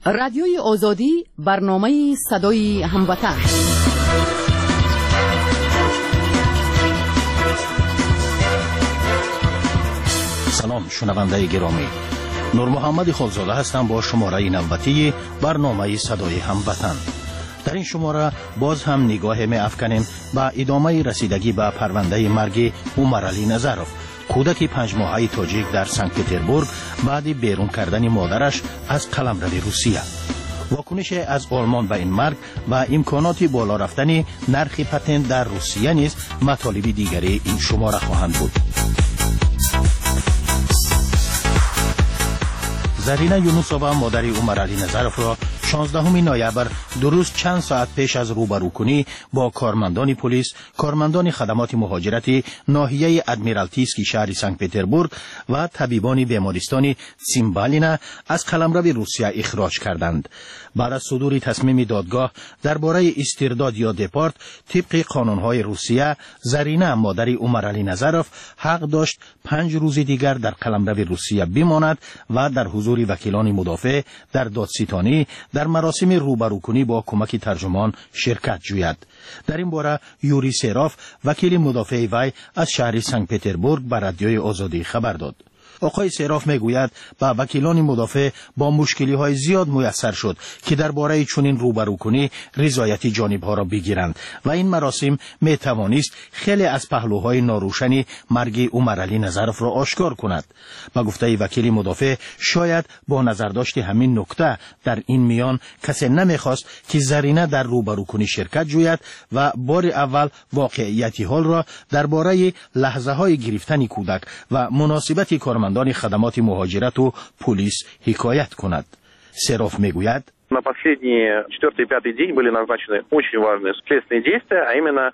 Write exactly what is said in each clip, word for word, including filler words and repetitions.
Радиои Озодӣ, барномаи садои ҳамватан. Салом, шунавандаи гиромӣ. Нурмуҳаммади Холзода ҳастам бо шумораи навбатии барномаи садои ҳамватан. Дар ин шумора боз ҳам нигоҳе меафканем ба идомаи расидагӣ ба парвандаи марги Умаралӣ Назаров, кӯдаки панҷмоҳаи тоҷик дар Санкт-Петербург баъди берун кардани модараш аз қаламрави Русия. Вокунише аз Олмон ба ин марг ва имконоти боло рафтани нархи патент дар Русия низ матолиби дигари ин шумора хоҳанд буд. Зарина Юнусова, модари Умаралӣ Назаровро шонздаҳуми ноябр, дуруст чанд соат пеш аз рӯбарӯкунӣ бо кормандони полис, кормандони хадамоти муҳоҷирати ноҳияи Адмиралтийский шаҳри Санкт-Петербург ва табибони бемористони Цимбалина аз қаламрави Русия ихроҷ карданд. Баъд аз судури тасмими додгоҳ дар бораи истирдод ё депорт тибқи қонунҳои Русия, Зарина, модари Умаралӣ Назаров, ҳақ дошт панҷ рӯзи дигар дар қаламрави Русия бимонад ва дар ҳузури вакилони мудофеъ дар додситонӣ дар маросими рӯбарӯкунӣ бо кӯмаки тарҷумон ширкат ҷӯяд. Дар ин бора Юрий Серов, вакили мудофеи вай аз шаҳри Санкт-Петербург, ба Радиои Озодӣ хабар дод. Оқои Серов мегӯяд, ба вакилони мудофеъ бо мушкилиҳои зиёд муяссар шуд, ки дар бораи чунин рӯбарӯкунӣ ризояти ҷонибҳоро бигиранд ва ин маросим метавонист хеле аз паҳлӯҳои норӯшани марги Умаралӣ Назаровро ошкор кунад. Ба гуфтаи вакили мудофеъ, шояд бо назардошти ҳамин нукта дар ин миён касе намехост, ки Зарина дар рӯбарӯкунӣ ширкат ҷӯяд ва бори аввал воқеияти ҳолро дар бораи лаҳзаҳои гирифтани кӯдак ва муносибати кормандони хадамоти муҳоҷирату полис ҳикоят кунад. Серов мегӯяд: На последний четвертый и пятый день были назначены очень важные следственные действия, а именно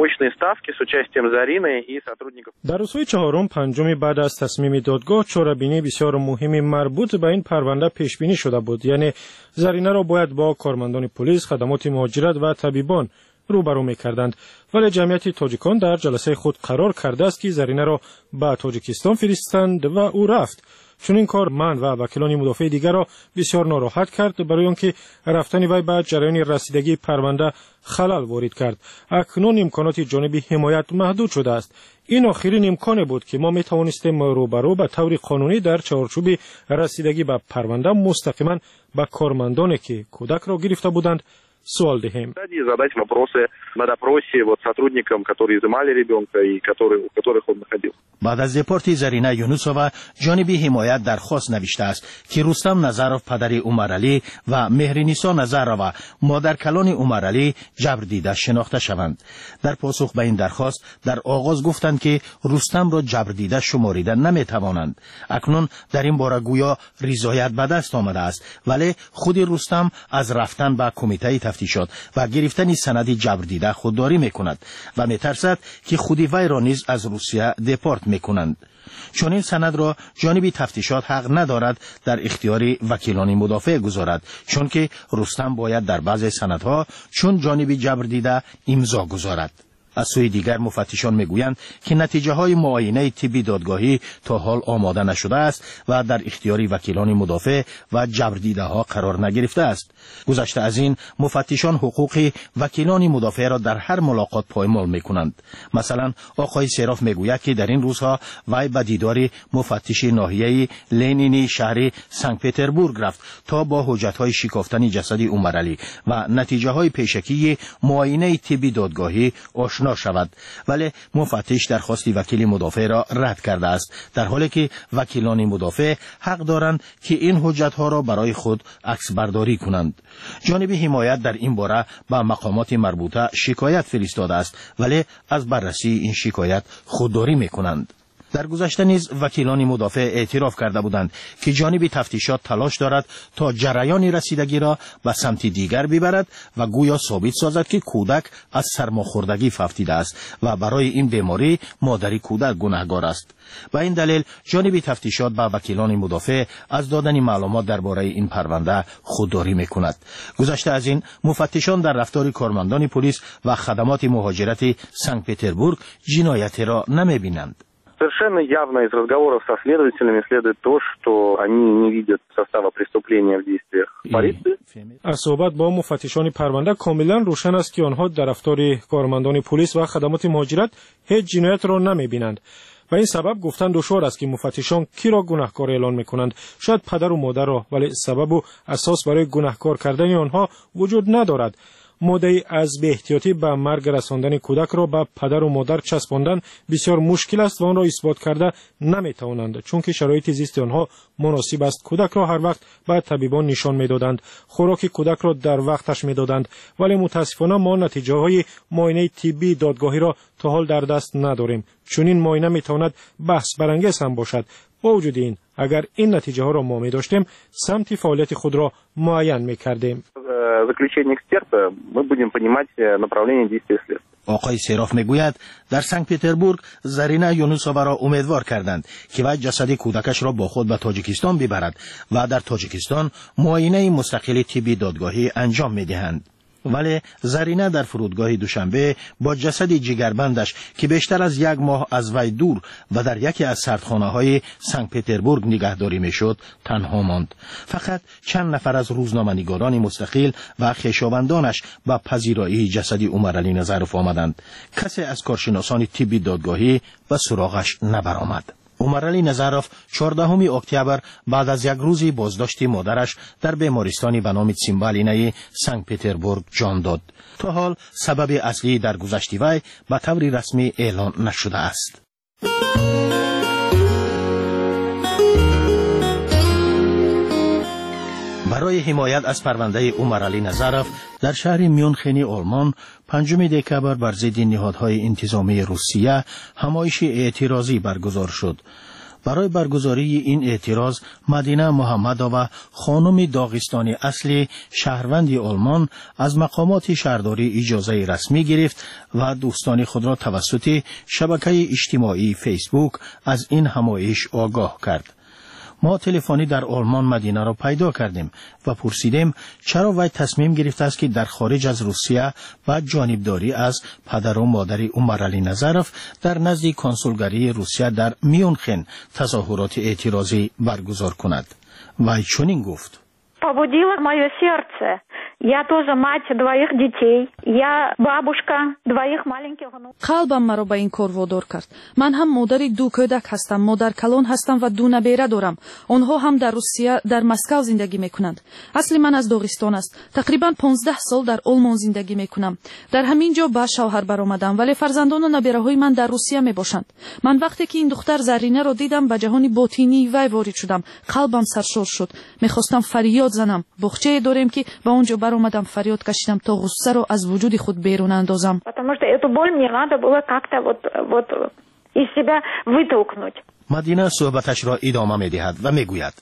очные ставки с участием Зарины и сотрудников. Дар рӯзҳои чаҳорум, панҷуми баъд аз тасмими додгоҳ чорабинии бисёр муҳими марбут ба ин парванда пешбинӣ шуда буд. Яъне Заринаро бояд бо кормандони полис, хадамоти муҳоҷират ва табибон рӯбарӯ мекарданд. Вале ҷамъияти тоҷикон дар ҷаласаи худ қарор кардааст, ки Заринаро ба Тоҷикистон фиристанд ва ӯ рафт. Чунин кор ман ва вакилони мудофеи дигарро бисёр нороҳат кард, барои он ки рафтани вай ба ҷараёни расидагии парванда халал ворид кард. Акнун имконоти ҷониби ҳимоят маҳдуд шудааст. Ин охирин имконе буд, ки мо метавонистем рӯбарӯ ба таври қонунӣ дар чаҳорчӯби расидагӣ ба парванда мустақиман ба кормандоне, ки кӯдакро гирифта буданд, суол диҳем. Задать вопросы на допросе вот сотрудникам, которые изымали ребенка и которые, у которых он находился. Баъд аз депорти Зарина Юнусова ҷониби ҳимоят дархост навиштааст, ки Рустам Назаров, падари Умаралӣ, ва Меҳринисо Назарова, модаркалони Умаралӣ, ҷабрдида шинохта шаванд. Дар посух ба ин дархост дар оғоз гуфтанд, ки Рустамро ҷабрдида шуморида наметавонанд. Акнун дар ин бора гӯё ризоят ба даст омадааст, вале худи Рустам аз рафтан ба кумитаи тафтишот ва гирифтани санади ҷабрдида худдорӣ мекунад ва метарсад, ки худи вайро низ аз Русия депорт мекунанд. Чунин санадро ҷониби тафтишот ҳақ надорад дар ихтиёри вакилони мудофеъ гузорад, чунки Рустам бояд дар баъзе санадҳо чун ҷониби ҷабрдида имзо гузорад. Аз сӯи дигар муфаттишон мегӯянд, ки натиҷаҳои муоинаи тибби додгоҳӣ то ҳол омода нашудааст ва дар ихтиёри вакилони мудофеъ ва ҷабрдидаҳо қарор нагирифтааст. Гузашта аз ин, муфаттишон ҳуқуқи вакилони мудофеъро дар ҳар мулоқот поймол мекунанд. Масалан, оқои Серов мегӯяд, ки дар ин рӯзҳо вай ба дидори муфаттиши ноҳияи Ленини шаҳри Санкт-Петербург рафт, то бо ҳуҷҷатҳои шикофтани ҷасади Умаралӣ ва натиҷаҳои пешакии муоинаи тибби додгоҳӣ ошно шавад, вале муфаттиш дархости вакили мудофеъро рад кардааст, дар ҳоле ки вакилони мудофеъ ҳақ доранд, ки ин ҳуҷҷатҳоро барои худ аксбардорӣ кунанд. Ҷониби ҳимоят дар ин бора ба мақомоти марбута шикоят фиристодааст, вале аз баррасии ин шикоят худдорӣ мекунанд. Дар гузашта низ вакилони мудофеъ эътироф карда буданд, ки ҷониби тафтишот талош дорад, то ҷараёни расидагиро ба самти дигар бибарад ва гӯё собит созад, ки кӯдак аз сармохӯрдагӣ фавтидааст ва барои ин беморӣ модари кӯдак гунаҳгор аст. Ба ин далел ҷониби тафтишот ба вакилони мудофеъ аз додани маълумот дар бораи ин парванда худдорӣ мекунад. Гузашта аз ин, муфаттишон дар рафтори кормандони полис ва хадамоти муҳоҷирати Санкт-Петербург ҷиноятеро намебинанд. Совершенно явно из разговоров со следователями следует то, что они не видят состава преступления в действиях полиции. Аз суҳбат бо муфаттишони парванда комилан рӯшан аст, ки онҳо дар рафтори кормандони пулис ва хадамоти муҳоҷират ҳеҷ ҷиноятро намебинанд. Ба ин сабаб гуфтан душвор аст, ки муфаттишон киро гунаҳкор эълон мекунанд. Шояд падару модарро, вале сабабу асос барои гунаҳкор кардани онҳо вуҷуд надорад. Моддаи аз беэҳтиётӣ ба марг расондани кӯдакро ба падару модар часпондан бисёр мушкил аст ва онро исбот карда наметавонанд, чунки шароити зисти онҳо муносиб аст. Кӯдакро ҳар вақт ба табибон нишон медоданд, хӯроки кӯдакро дар вақташ медоданд, вале мутаассифона мо натиҷаҳои муоинаи тиббии додгоҳиро то ҳол дар даст надорем. Чунин муоина метавонад баҳсбарангез ҳам бошад. Бо вуҷуди ин, агар ин натиҷаҳоро мо медоштем, самти фаъолияти худро муайян мекардем. Заключение эксперта мы будем понимать направление действия следствия. Оқои Серов мегӯяд, дар Санкт-Петербург Зарина Юнусоваро умедвор карданд, ки вай ҷасади кӯдакашро бо худ ба Тоҷикистон бибарад ва дар Тоҷикистон муоинаи мустақили тибби додгоҳӣ анҷом медиҳанд. Вале Зарина дар фурудгоҳи Душанбе бо ҷасади ҷигарбандаш, ки бештар аз як моҳ аз вай дур ва дар яке аз сардхонаҳои Санкт-Петербург нигаҳдорӣ мешуд, танҳо монд. Фақат чанд нафар аз рӯзноманигорони мустақил ва хешовандонаш ба пазироии ҷасади Умаралӣ Назаров омаданд. Касе аз коршиносони тибби додгоҳӣ ба суроғаш набаромад. Умаралӣ Назаров чордаҳуми октябр баъд аз як рӯзи боздошти модараш дар бемористони ба номи Цимбалинаи Санкт-Петербург ҷон дод. То ҳол сабаби аслии даргузашти вай ба таври расмӣ эълон нашудааст. Барои ҳимоят аз парвандаи Умаралӣ Назаров дар шаҳри Мюнхени Олмон панҷуми декабр бар зидди ниҳодҳои интизомии Русия ҳамоиши эътирозӣ баргузор шуд. Барои баргузории ин эътироз Мадина Муҳаммадова, хонуми доғистони аслӣ, шаҳрванди Олмон, аз мақомоти шаҳрдорӣ иҷозаи расмӣ гирифт ва дӯстони худро тавассути шабакаи иҷтимоии Фейсбук аз ин ҳамоиш огоҳ кард. Мо телефонӣ дар Олмон Мадинаро пайдо кардем ва пурсидем, чаро вай тасмим гирифтааст, ки дар хориҷ аз Русия ба ҷонибдорӣ аз падару модари Умаралӣ Назаров дар назди консулгарии Русия дар Мюнхен тазоҳуроти эътирозӣ баргузор кунад. Вай чунин гуфт: Побудило мое сердце. Я тоже мать двоих детей. Я бабушка двоих маленьких внуков. Қалбам маро ба ин кор водор кард. Ман ҳам модари ду кӯдак ҳастам, модаркалон ҳастам ва ду набера дорам. Онҳо ҳам дар Русия, дар Москав зиндагӣ мекунанд. Асли ман аз Доғистон аст. Тақрибан понздаҳ сол дар Олмон зиндагӣ мекунам. Дар ҳамин ҷо ба шавҳар баромадам, вале фарзандону набераҳои ман дар Русия мебошанд. Ман вақте ки ин духтар Заринаро дидам, ба ҷаҳони ботинии вай ворид шудам. Қалбам саршор шуд. Мехостам фарёд занам. Боғчае дорем, ки ба он ҷо баромадам, фарёд кашидам, то ғуссаро аз вуҷуди худ берун андозам. Потому что эту боль мне надо было как-то вот, вот из себя вытолкнуть. Мадина суҳбаташро идома медиҳад ва мегӯяд: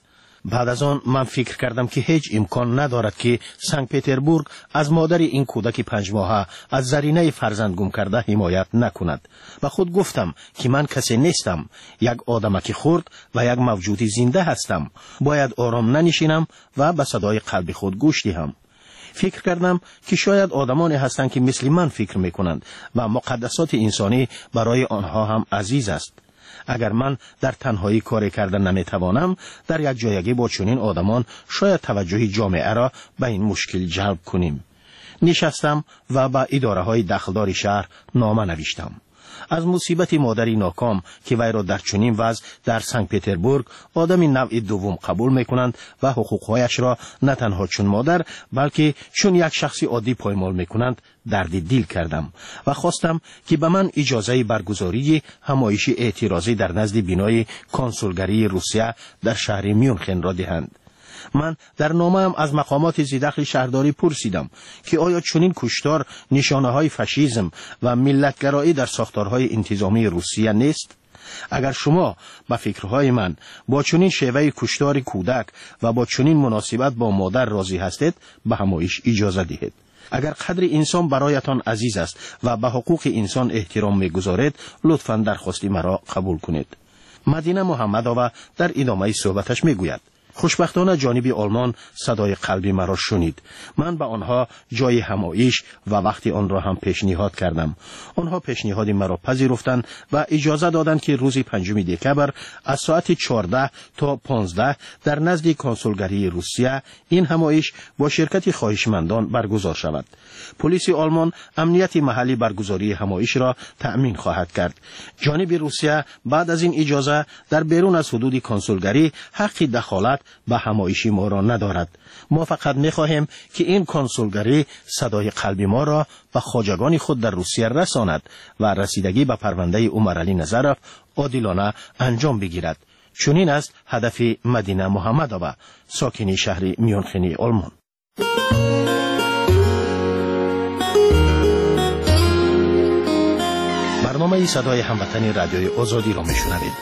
баъд аз он ман фикр кардам, ки ҳеҷ имкон надорад, ки Санкт-Петербург аз модари ин кӯдаки панҷмоҳа, аз Заринаи фарзанд гум карда, ҳимоят накунад. Ба худ гуфтам, ки ман касе нестам, як одамаки хурд ва як мавҷуди зинда ҳастам. Бояд ором нанишинам ва ба садои қалби худ гӯш диҳам. Фикр кардам, ки шояд одамоне ҳастанд, ки мисли ман фикр мекунанд ва муқаддасоти инсонӣ барои онҳо ҳам азиз аст. Агар ман дар танҳоӣ коре карда наметавонам, дар як ҷоягӣ бо чунин одамон шояд таваҷҷӯҳи ҷомеаро ба ин мушкил ҷалб кунем. Нишастам ва ба идораҳои дахлдори шаҳр нома навиштам. Аз мусибати модари ноком, ки вайро дар чунин вазъ дар Санкт-Петербург одами навъи дуввум қабул мекунанд ва ҳуқуқҳояшро на танҳо чун модар, балки чун як шахси оддӣ поймол мекунанд, дарди дил кардам ва хостам, ки ба ман иҷозаи баргузории ҳамоиши эътирозӣ дар назди бинои консулгарии Русия дар шаҳри Мюнхенро диҳанд. Ман дар номаам аз мақомоти зидахли шаҳрдорӣ пурсидам, ки оё чунин куштор нишонаҳои фашизм ва миллатгароӣ дар сохторҳои интизомии Русия нест? Агар шумо ба фикрҳои ман бо чунин шеваи куштори кӯдак ва бо чунин муносибат бо модар розӣ ҳастед, ба ҳамоиш иҷоза диҳед. Агар қадри инсон бароятон азиз аст ва ба ҳуқуқи инсон эҳтиром мегузоред, лутфан дархости маро қабул кунед. Мадина Муҳаммадова дар идомаи суҳбаташ мегӯяд: Хушбахтона ҷониби Олмон садои қалби маро шунид. Ман ба онҳо ҷои ҳамоиш ва вақти онро ҳам пешниҳод кардам. Онҳо пешниҳоди маро пазируфтанд ва иҷоза доданд, ки рӯзи панҷуми декабр аз соати чордаҳ то понздаҳ дар назди консулгарии Русия ин ҳамоиш бо ширкати хоҳишмандон баргузор шавад. Полиси Олмон амнияти маҳаллӣ баргузории ҳамоишро таъмин хоҳад кард. Ҷониби Русия баъд аз ин иҷоза дар берун аз ҳудуди консулгарӣ ҳаққи дахолат ба ҳамоиши моро надорад. Мо фақат мехоҳем, ки ин консулгарӣ садои қалби моро ба хоҷагони худ дар Русия расонад ва расидагӣ ба парвандаи Умаралӣ Назаров одилона анҷом бигирад. Чунин аст ҳадафи Мадина Муҳаммадова, сокини шаҳри Мюнхени Олмон. Барномаи садои ҳамватани радиои Озодиро мешунавед.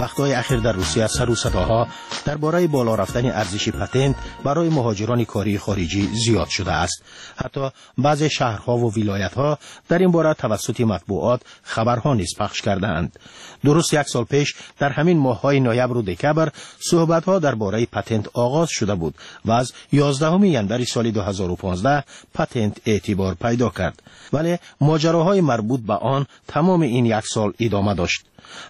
Вақтҳои ахир дар Русия сару садоҳо дар бораи боло рафтани арзиши патент барои муҳоҷирони кории хориҷӣ зиёд шудааст. Ҳатто баъзе шаҳрҳову вилоятҳо дар ин бора тавассути матбуот хабарҳо низ пахш кардаанд. Дуруст як сол пеш дар ҳамин моҳҳои ноябру декабр суҳбатҳо дар бораи патент оғоз шуда буд ва аз ёздаҳуми январи соли ду ҳазору понздаҳ патент эътибор пайдо кард. Вале моҷароҳои марбут ба он тамоми ин як сол идома дошт.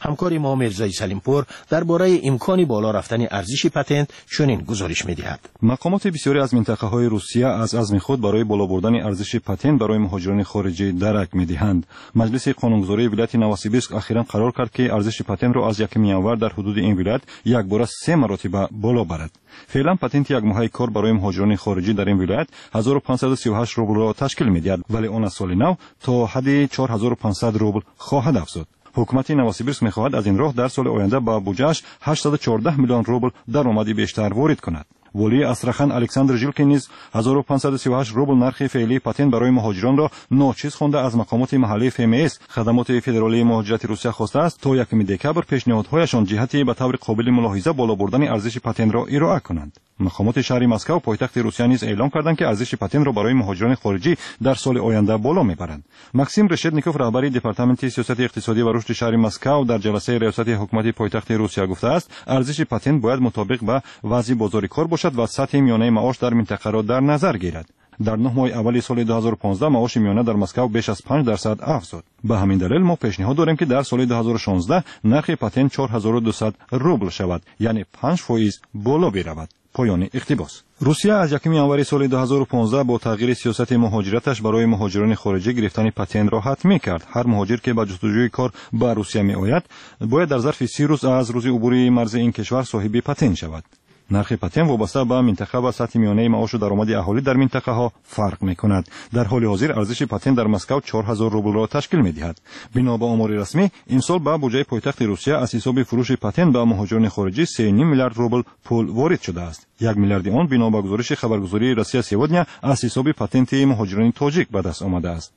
Ҳамкори мо Мирзои Салимпур дар бораи имкони боло рафтани арзиши патент чунин гузориш медиҳад. Мақомоти бисёре аз минтақаҳои Русия аз азми худ барои боло бурдани арзиши патент барои муҳоҷирони хориҷӣ дарак медиҳанд. Маҷлиси қонунгузории вилояти Новосибирск ахиран қарор кард, ки арзиши патентро аз якуми январ дар ҳудуди ин вилоят якбора се маротиба боло барад. Феълан патенти якмоҳаи кор барои муҳоҷирони хориҷӣ дар ин вилоят ҳазору панҷсаду сию ҳашт рублро ташкил медиҳад, вале он аз соли нав то ҳадди чор ҳазору панҷсад рубл хоҳад афзуд. Ҳукумати Новосибирск мехоҳад аз ин роҳ дар соли оянда ба буҷааш ҳаштсаду чордаҳ миллион рубл даромади бештар ворид кунад. Волии Астрахан Александр Жилкин низ ҳазору панҷсаду сию ҳашт рубл нархи феълии патент барои муҳоҷиронро ночиз хонда аз мақомоти маҳаллии эф эм эс хадамоти федералии муҳоҷирати Русия хостааст то якуми декабр пешниҳодҳояшон ҷиҳати ба таври қобили мулоҳиза боло бурдани арзиши патентро ироа кунанд. Мақомоти шаҳри Москав пойтахти Русия низ эълон карданд, ки арзиши патентро барои муҳоҷирони хориҷӣ дар соли оянда боло мебаранд. Максим Решетников, раҳбари департаменти сиёсати иқтисодӣ ва рушди шаҳри Москав, дар ҷаласаи риёсати ҳукумати пойтахти Русия гуфтааст, арзиши патент бояд мутобиқ ба вазъи бозори кор бошад ва сатҳи миёнаи маош дар минтақаро дар назар гирад. Дар нӯҳ моҳи аввали соли ду ҳазору понздаҳ маоши миёна дар Москав беш аз панҷ дарсад афзуд. Ба ҳамин далел мо пешниҳод дорем, ки дар соли ду ҳазору шонздаҳ нархи патент чор ҳазору дусад рубл шавад, яъне панҷ фоиз боло биравад. Поёни иқтибос. Русия аз якуми январи соли ду ҳазору понздаҳ бо тағйири сиёсати муҳоҷираташ барои муҳоҷирони хориҷӣ гирифтани патентро ҳатмӣ кард. Ҳар муҳоҷир, ки ба ҷустуҷӯи кор ба Русия меояд, бояд дар зарфи си рӯз аз рӯзи убури марзи ин кишвар соҳиби патент шавад. Нархи патент вобаста ба минтақа ва сатҳи миёнаи маошу даромади аҳолӣ дар минтақаҳо фарқ мекунад. Дар ҳоли ҳозир арзиши патент дар Москав чор ҳазор рублро ташкил медиҳад. Бино ба омори расмӣ, имсол ба буҷаи пойтахти Русия аз ҳисоби фурӯши патент ба муҳоҷирони хориҷӣ се ним миллиард рубл пул ворид шудааст. Як миллиарди он бино ба гузориши хабаргузории Россия сегодня аз ҳисоби патенти муҳоҷирони тоҷик ба даст омадааст.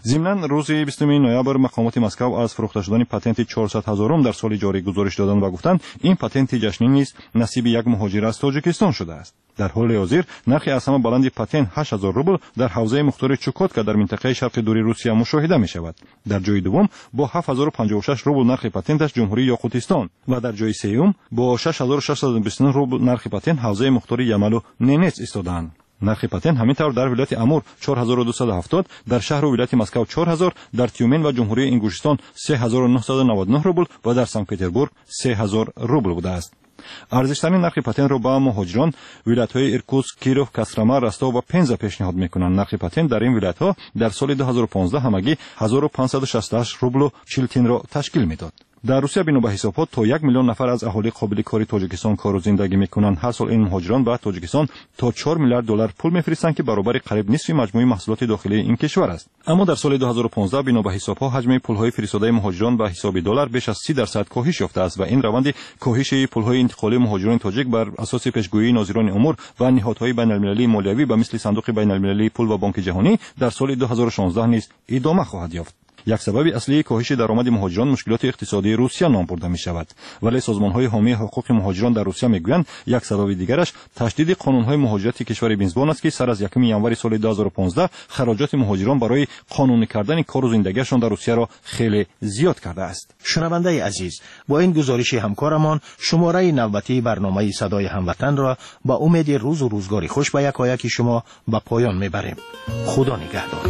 Зимнан рӯзи бистуми ноябр мақомоти Москав аз фурӯхта шудани патенти чорсад ҳазорум дар соли ҷорӣ гузориш доданд ва гуфтанд, ин патенти ҷашнӣ низ насиби як муҳоҷир аз Тоҷикистон шудааст. Дар ҳоли ҳозир нархи аз ҳама баланди патент ҳашт ҳазор рубл дар ҳавзаи мухтори Чукотка дар минтақаи шарқи дури Русия мушоҳида мешавад. Дар ҷои дуввум бо ҳафт ҳазору панҷоҳу шаш рубл нархи патенташ Ҷумҳурии Ёқутистон ва дар ҷои сеюм бо шаш ҳазору шашсаду бисту нӯҳ рубл нархи патент ҳавзаи мухтори Ямалу Ненец истодаанд. Нархи патент ҳамин тавр дар вилояти Амур чор ҳазору дусаду ҳафтод, дар шаҳру вилояти Москав чор ҳазор, дар Тюмен ва Ҷумҳурии Ингушистон се ҳазору нӯҳсаду наваду нӯҳ рубл ва дар Санкт-Петербург се ҳазор рубл будааст. Арзиштарин нархи патентро ба муҳоҷирон вилоятҳои Иркутск, Киров, Кострома, Ростов ва Пенза пешниҳод мекунанд. Нархи патент дар ин вилоятҳо дар соли ду ҳазору понздаҳ ҳамагӣ ҳазору панҷсаду шасту ҳашт рублу чил тинро ташкил медод. Дар Русия бино ба ҳисобҳо то як миллион нафар аз аҳолии қобили кори Тоҷикистон кору зиндагӣ мекунанд. Ҳар сол ин муҳоҷирон ба Тоҷикистон то чор миллиард доллар пул мефиристанд, ки баробари қариб нисфи маҷмӯи маҳсулоти дохилии ин кишвар аст. Аммо дар соли ду ҳазору понздаҳ бино ба ҳисобҳо ҳаҷми пулҳои фиристодаи муҳоҷирон ба ҳисоби доллар беш аз си дарсад коҳиш ёфтааст ва ин раванди коҳиши пулҳои интиқолии муҳоҷирони тоҷик бар асоси пешгӯии нозирони умур ва ниҳодҳои байналмилалии молиявӣ ба мисли Сандуқи байналмилалии пул ва Бонки ҷаҳонӣ дар соли ду ҳазору шонздаҳ низ идома хоҳад ёфт. Як сабаби аслии коҳиши даромади муҳоҷирон мушкилоти иқтисодии Русия ном бурда мешавад. Вале созмонҳои ҳомии ҳуқуқи муҳоҷирон дар Русия мегӯянд, як сабаби дигараш ташдиди қонунҳои муҳоҷирати кишвари мизбон аст, ки сар аз якуми январи соли ду ҳазору понздаҳ хароҷоти муҳоҷирон барои қонунӣ кардани кору зиндагиашон дар Русияро хеле зиёд кардааст. Шунавандаи азиз, бо ин гузориши ҳамкорамон шумораи навбатии барномаи Садои Ҳамватанро ба умеди рӯзу рӯзгори хуш ба якояки шумо ба поён мебарем. Худо нигаҳдор.